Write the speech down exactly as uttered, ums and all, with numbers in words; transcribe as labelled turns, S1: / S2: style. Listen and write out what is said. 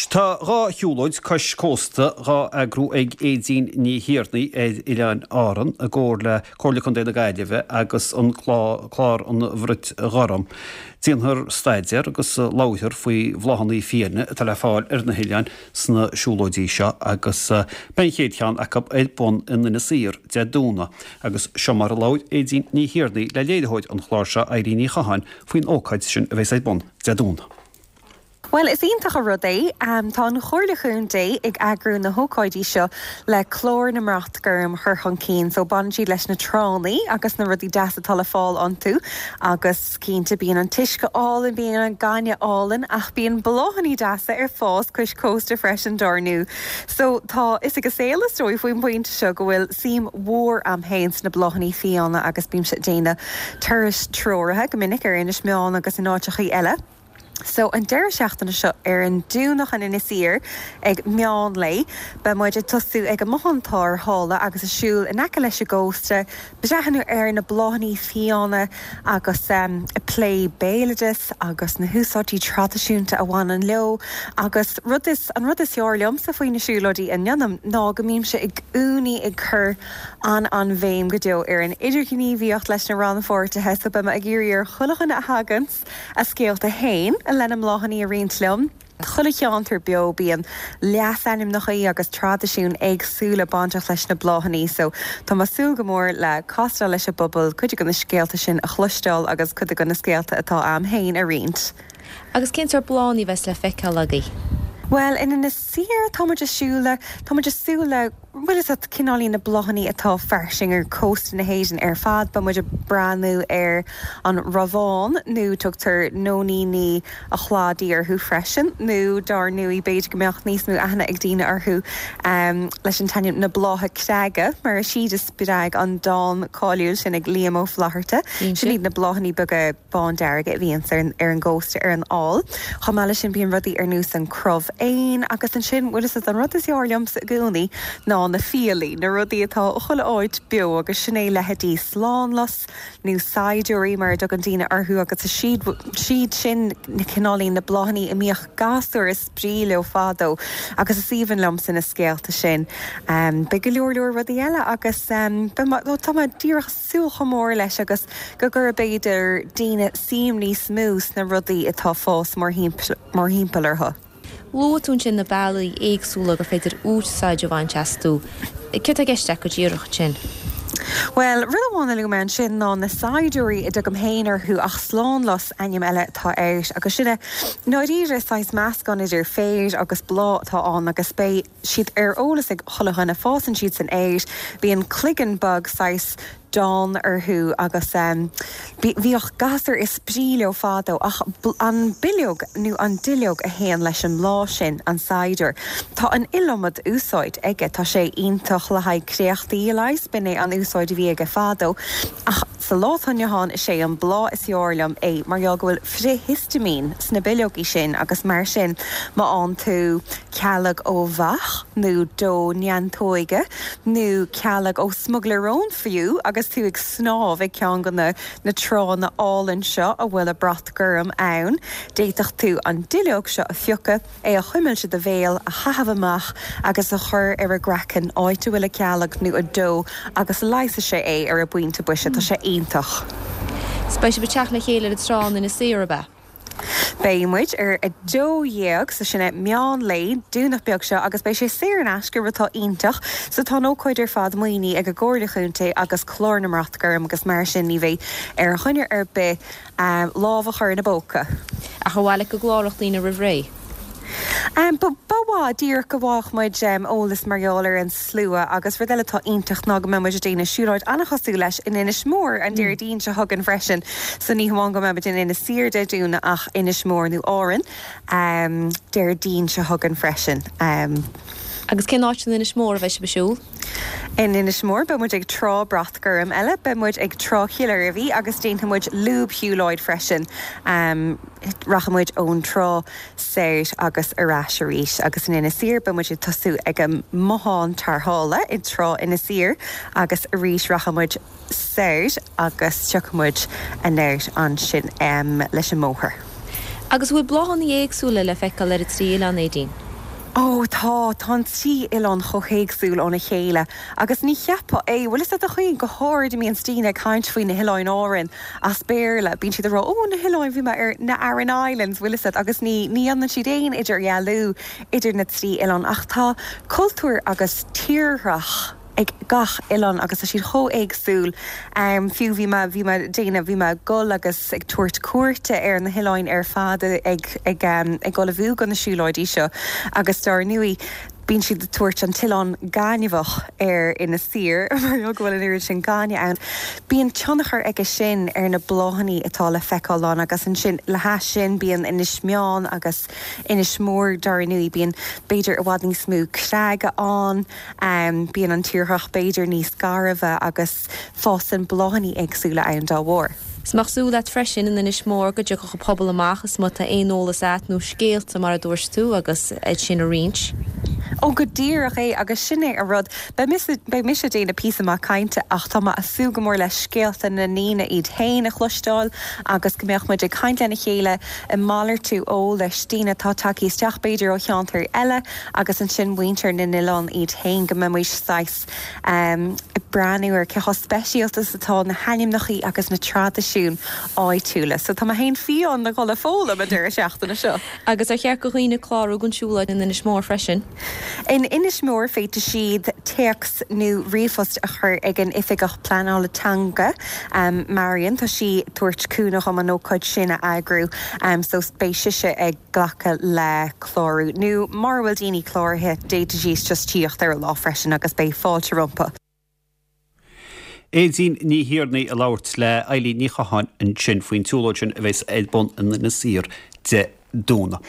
S1: Tá dhá shiúlóid cois cósta dhá eagrú ag Aedín Ní Thiarnaigh ar Oileáin Árann i gcomhar le Comhairle Contae na Gaillimhe agus an clár an Bhrait Ghorm. Déanfar staidéar agus labharfar faoi bhláthanna fiáine atá le fáil ar na hoileáin sna siúlóidí seo agus beidh an chéad cheann acu ar bun in Inis Oírr Dé Domhnaigh agus seo mar a labhair Aedín Ní Thiarnaigh le léiritheoir an chláir seo Irene Ní Chatháin faoin ócáid sin a bheas ar bun Dé Domhnaigh.
S2: Bhuel, is iontach an rud é. Tá an Chomhairle Chontae ag eagrú na hócáidí seo le clár na mBrat Gorm a chur chun cinn. So baineann siad leis na tránna agus na rudaí deasa atá le fáil iontu agus cinnte bíonn an t-uisce álainn, bíonn an gaineamh álainn ach bíonn bláthanna deasa ar fás cois cósta freisin dár ndóigh. So tá fhios ag an saol is dóigh faoin bpointe seo go bhfuil suim mhór a'm féin sna bláthanna fiáine agus bímse ag déanamh turais treoraithe go minic ar Inis Meáin agus in áiteachaí eile. So an deireadh seachtaine seo ar an Domhnach in Inis Oírr ag meán lae, beidh muid ag tosú ag an mbothán tarrthála agus ag siúl in aice leis an gcósta, breathnú ar na bláthanna fiáine agus ag plé béaloideas agus na húsáidí traidisiúnta a bhaineann leo agus rud is, an rud is fearr liomsa faoi na siúlóidí a ndéanaim ná go mbímse i gcónaí ag cur an-an-bhéim go deo ar an idirghníomhaíocht leis na rannpháirtithe so beidh mé ag iarraidh ar chuile dhuine a thagann a scéalta féin lena mbláthanna a roinnt liom. Chuile cheantar beo bíonn leasainmneacha agus traidisiúin éagsúla bainteach leis na bláthanna so tá mé ag súil go mór le castáil leis an bpobal, cuid de na scéalta sin a chloisteáil agus cuid de na scéalta atá a'm féin a roinnt.
S3: Agus cén sórt bláthanna a bheas le feiceáil agaibh?
S2: Bhuel, in Inis Oírr tá muid ag siúl le, tá muid ag súil le, bhfuil fhios a't, cineáilín na bláthanna atá fairsing ar cósta na hÉireann ar fad. Beidh muid ag breathnú ar an rabhán nó tugtar nóiníní a chladaigh orthu freisin nó dár ndóigh b'fhéidir go mbeadh níos mó aithne ag daoine orthu leis an t-ainm na blátha creige mar is iad a spreag an dán cáiliúil sin ag Liam Ó Flaithearta. Sin iad na bláthanna beaga. bándearga a bhíonns ar ar an gcósta ar an fhál. Chomh maith leis sin bíonn rudaí ar nós an crobh éin agus ansin, bhfuil fhios a't, an rud is fearr liomsa i gcónaí ná na fiailí, na rudaí atá chuile áit beo agus sin é leithéidí slánlus nó saighdiúirí mar a dtugann daoine orthu agus is siad siad sin na cineáilín na bláthanna a mbíodh gasúir ag spraoi leo fadó agus is aoibhinn liomsa na scéalta sin. Beidh go leor leor rudaí eile agus beidh tá mé díreach súil chomh mór leis agus go gcuirfidh b'fhéidir daoine suim níos mó sna rudaí atá ag fás mórthimpeall orthu.
S3: Luaigh tú ansin na bealaí éagsúla gur féidir úsáid a bhaint astu. Céard atá i gceist agat go díreach ansin?
S2: Bhuel, rud amháin a luaigh mé ansin ná na saighdiúirí a dtugaim féin orthu ach slánlus ainm eile atá air agus sin é i ndáiríre saghas meascán idir féar agus bláth atá ann agus beidh siad ar eolas ag chuile dhuine, fásann siad san aer, bíonn cloigeann beag saghas donn orthu agus bhíodh gasúir ag spraoi leo fadó ach an bileog nó an duilleog a théann leis an mbláth sin, an saighdiúir, tá an iliomad úsáid aige, tá sé iontach le haghaidh créachtaí a leigheas, b'in é an úsáid a bhí aige fadó ach sa lá atá inniu ann is é an bláth is fearr liom é mar gheall go bhfuil frith-histaimín sna bileogaí sin agus mar sin má fhaigheann tú cealg ó bheach nó dó neantóige nó cealg ó smugairle róin fiú agus tú ag snámh ag ceann de na na tránna álainn seo a bhfuil an brat gorm ann. D'fhéadfadh tú an duilleog seo a phiocadh, é a chuimilt i do bhéal, a chaitheamh amach agus a chur ar an gcraiceann, áit a bhfuil an cealg nó an dó agus leigheasfaidh sé é ar an bpointe boise. Tá sé iontach.
S3: 'S beidh sibh ag teacht le chéile ar an trá in Inis Oírr, ab ea?
S2: Beidh muid ar a dó dhéag, so sin é meán lae, Domhnach beag seo agus beidh sé saor in aisce, rud atá iontach. So tá an ócáid ar fad maoinithe ag an gComhairle Chontae agus Clár na mBrat Gorm agus mar sin ní bheidh ar dhuine ar bith lámh a chur ina bpóca.
S3: Ach ar mhaith leat go gcláródh daoine roimh ré?
S2: Ba mhaith, díreach go bhfaigheadh muid eolas mar gheall ar an slua agus rud eile atá iontach ná go mbeidh muid ag déanamh siúlóid an-chosúil leis in Inis Mór an Déardaoin seo chugainn freisin. So ní hamháin go mbeidh muid in Inis Oírr Dé Domhnaigh ach Inis Mór nó Árainn Déardaoin seo chugainn freisin.
S3: Agus cén áit in Inis Mór a bheidh sibh ag siúl?
S2: In Inis Mór beidh muid ag Trá Brat Gorm eile, beidh muid ag Trá Chill Oirbhí agus déanfaidh muid lúbshiúlóid freisin. Rachaidh muid ón trá soir agus ar ais arís agus in Inis Oírr beidh muid ag tosú ag an mbothán tarrthála i dTrá Inis Oírr agus arís rachaidh muid soir agus tiocfaidh muid anoir ansin leis an mbóthar.
S3: Agus an bhfuil bláthanna éagsúla le feiceáil ar an trí oileán, Aedín?
S2: Ó tá tá an trí oileán chomh héagsúil óna chéile agus ní cheapfá é bhfuil fhios agat a chaoin go háirid a mbíonn daoine ag caint faoi na hOileáin Árann as Béarla bíonn siad ag rá ó na hoileáin bhí mé ar na Aran Islands bhfuil fhios agat agus ní ní dhéanann siad aon idirdhealú idir na trí oileán ach tá cultúr agus tírdhreach ag gach oileán agus tá siad chomh éagsúil. Um, fiú bhí mé bhí mé déanamh bhí mé ag gul agus ag tabhairt cuairte ar na hoileáin ar fad ag ag um, ag ullmhú do na siúlóidí seo agus dar ndóigh bíonn siad ag tabhairt an t-oileán gainmheach ar Inis Oírr mar go bhfuil an oiread sin gainimh ann. Bíonn tionchar aige sin ar na bláthanna atá le feiceáil ann agus ansin le hais sin bíonn Inis Meáin agus Inis Mór dar ndóigh bíonn b'fhéidir i bhfad níos mó creaga ann, um, bíonn an tírdhreach b'fhéidir níos gairbhe agus fásann bláthanna éagsúla ann dá bharr.
S3: Is maith súil leat freisin in Inis Mór go dtiocfadh an pobal amach is má tá aon eolas agat nó scéalta mar a dúirt tú agus iad sin a roinnt.
S2: Ó go díreach é agus sin é an rud Beidh mise ag déanamh píosa maith cainte ach tá mé ag súil go mór le scéalta na ndaoine iad féin a chloisteáil agus go mbeadh muid ag caint lena chéile ag malartú eolais daoine atá tagtha isteach b'fhéidir ó cheantar eile agus ansin muintir na n-oileán iad féin go mbeidh saghas um, breathnú ar cé chomh speisialta atá na hainmneacha agus na traidisiúin áitiúla. So tá mé féin fiáin le dhul ag foghlaim an deireadh seachtaine seo.
S3: Agus ar cheart do dhaoine clárú don siúlóid in Inis Mór freisin.
S2: In Inis Mór féadfaidh siad téacs nó ríomhphost a chur ag an oifigeach pleanála teanga um, Marion tá sí ag tabhairt cúnamh dom an ócáid sin a eagrú um, so beidh sise ag glacadh le clárú. Nó mura bhfuil daoine cláraithe d'fhéadfaidís just tíocht ar an lá freisin agus beidh fáilte rompu.
S1: Aedín Ní Thiarnaigh ag labhairt le Eilín Ní Chatháin ansin faoin tsiúlóid sin a bheas ar bun in Inis Oírr Dé Domhnaigh.